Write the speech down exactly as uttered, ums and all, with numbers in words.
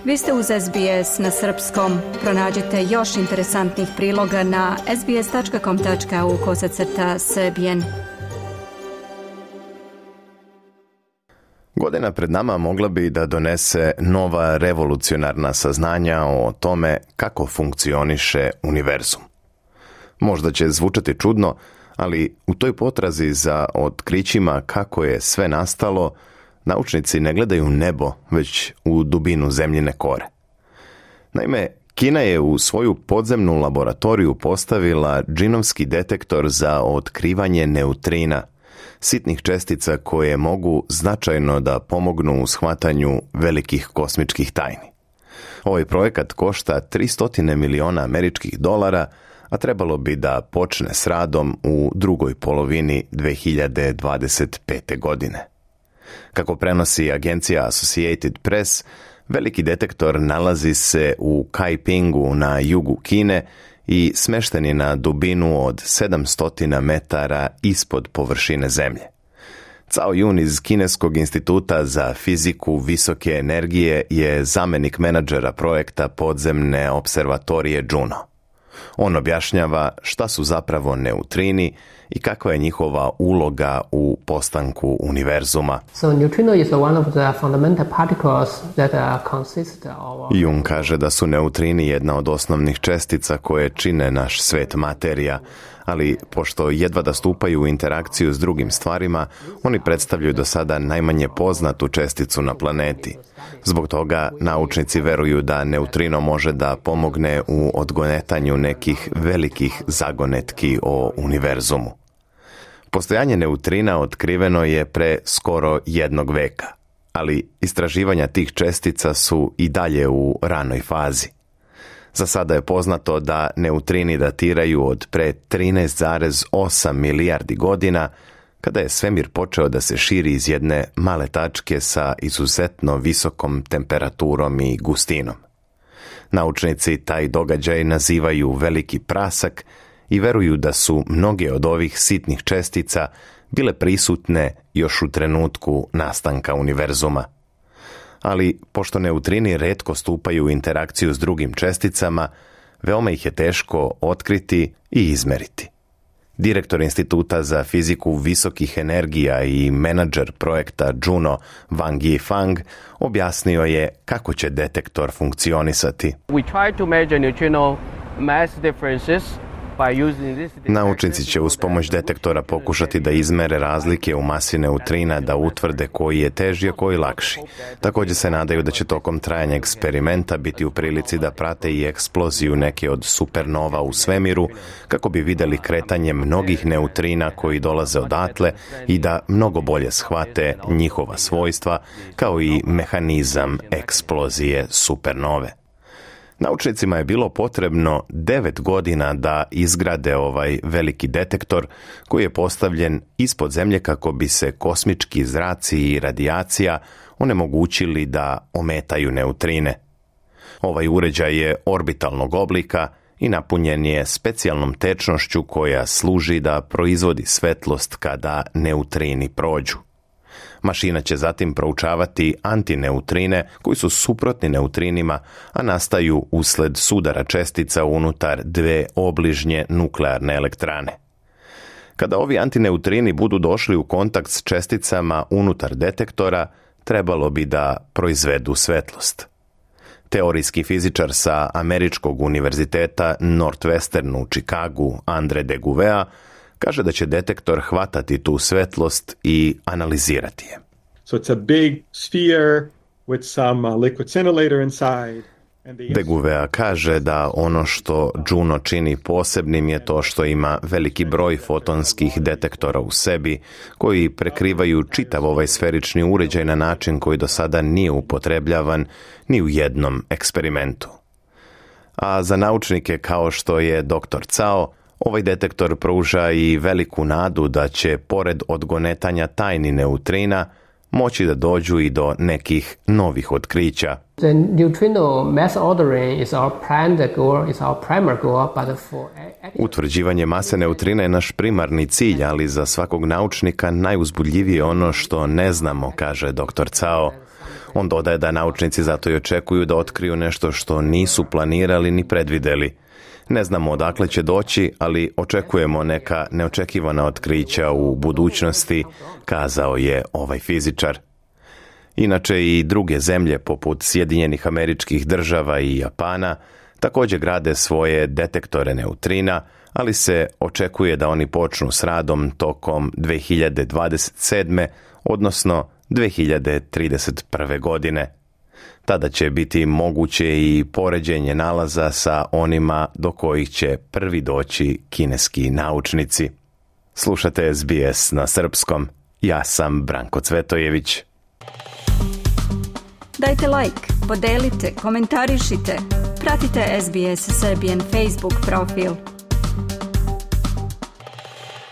Vi ste uz S B S na srpskom. Pronađite još interesantnih priloga na sbs.com.au kosacrta srbijen. Godina pred nama mogla bi da donese nova revolucionarna saznanja o tome kako funkcioniše univerzum. Možda će zvučati čudno, ali u toj potrazi za otkrićima kako je sve nastalo, naučnici ne gledaju nebo, već u dubinu zemljine kore. Naime, Kina je u svoju podzemnu laboratoriju postavila džinovski detektor za otkrivanje neutrina, sitnih čestica koje mogu značajno da pomognu u shvatanju velikih kosmičkih tajni. Ovaj projekat košta tristo miliona američkih dolara, a trebalo bi da počne s radom u drugoj polovini dve hiljade dvadeset pete. godine. Kako prenosi agencija Associated Press, veliki detektor nalazi se u Kaipingu na jugu Kine i smešten je na dubinu od sedamsto metara ispod površine zemlje. Cao Yun iz Kineskog instituta za fiziku visoke energije je zamenik menadžera projekta podzemne observatorije Juno. On objašnjava šta su zapravo neutrini i kakva je njihova uloga u postanku univerzuma. So neutrino is one of the fundamental particles that consist of... Jung kaže da su neutrini jedna od osnovnih čestica koje čine naš svet materija, ali pošto jedva da stupaju u interakciju s drugim stvarima, oni predstavljaju do sada najmanje poznatu česticu na planeti. Zbog toga naučnici veruju da neutrino može da pomogne u odgonetanju nekih velikih zagonetki o univerzumu. Postojanje neutrina otkriveno je pre skoro jednog veka, ali istraživanja tih čestica su i dalje u ranoj fazi. Za sada je poznato da neutrini datiraju od pre trinaest zarez osam milijardi godina, kada je svemir počeo da se širi iz jedne male tačke sa izuzetno visokom temperaturom i gustinom. Naučnici taj događaj nazivaju veliki prasak i veruju da su mnoge od ovih sitnih čestica bile prisutne još u trenutku nastanka univerzuma. Ali, pošto neutrini retko stupaju u interakciju s drugim česticama, veoma ih je teško otkriti i izmeriti. Direktor Instituta za fiziku visokih energija i menadžer projekta Juno Wang Yifang objasnio je kako će detektor funkcionisati. We try to measure neutrino mass differences. Naučnici će uz pomoć detektora pokušati da izmere razlike u masi neutrina, da utvrde koji je teži, a koji lakši. Također se nadaju da će tokom trajanja eksperimenta biti u prilici da prate i eksploziju neke od supernova u svemiru, kako bi vidjeli kretanje mnogih neutrina koji dolaze odatle i da mnogo bolje shvate njihova svojstva, kao i mehanizam eksplozije supernove. Naučnicima je bilo potrebno devet godina da izgrade ovaj veliki detektor koji je postavljen ispod zemlje kako bi se kosmički zraci i radijacija onemogućili da ometaju neutrine. Ovaj uređaj je orbitalnog oblika i napunjen je specijalnom tečnošću koja služi da proizvodi svetlost kada neutrini prođu. Mašina će zatim proučavati antineutrine koji su suprotni neutrinima, a nastaju usled sudara čestica unutar dve obližnje nuklearne elektrane. Kada ovi antineutrini budu došli u kontakt s česticama unutar detektora, trebalo bi da proizvedu svetlost. Teorijski fizičar sa Američkog univerziteta Northwestern u Chicagu, Andre de Gouveia, kaže da će detektor hvatati tu svetlost i analizirati je. So it's a big sphere with some uh, liquid scintillator inside. De Gouveia kaže da ono što Juno čini posebnim je to što ima veliki broj fotonskih detektora u sebi, koji prekrivaju čitav ovaj sferični uređaj na način koji do sada nije upotrebljavan ni u jednom eksperimentu. A za naučnike kao što je doktor Cao, ovaj detektor pruža i veliku nadu da će, pored odgonetanja tajni neutrina, moći da dođu i do nekih novih otkrića. The neutrino mass ordering is our primary goal, is our primary goal, but for... Utvrđivanje mase neutrina je naš primarni cilj, ali za svakog naučnika najuzbudljivije je ono što ne znamo, kaže doktor Cao. On dodaje da naučnici zato i očekuju da otkriju nešto što nisu planirali ni predvideli. Ne znamo odakle će doći, ali očekujemo neka neočekivana otkrića u budućnosti, kazao je ovaj fizičar. Inače i druge zemlje poput Sjedinjenih Američkih Država i Japana također grade svoje detektore neutrina, ali se očekuje da oni počnu s radom tokom dve hiljade dvadeset sedme. odnosno dve hiljade trideset prve. godine. Tada će biti moguće i poređenje nalaza sa onima do kojih će prvi doći kineski naučnici. Slušate S B S na srpskom. Ja sam Branko Cvetojević. Dajte like, podelite, komentarišite. Pratite S B S Serbian Facebook profil.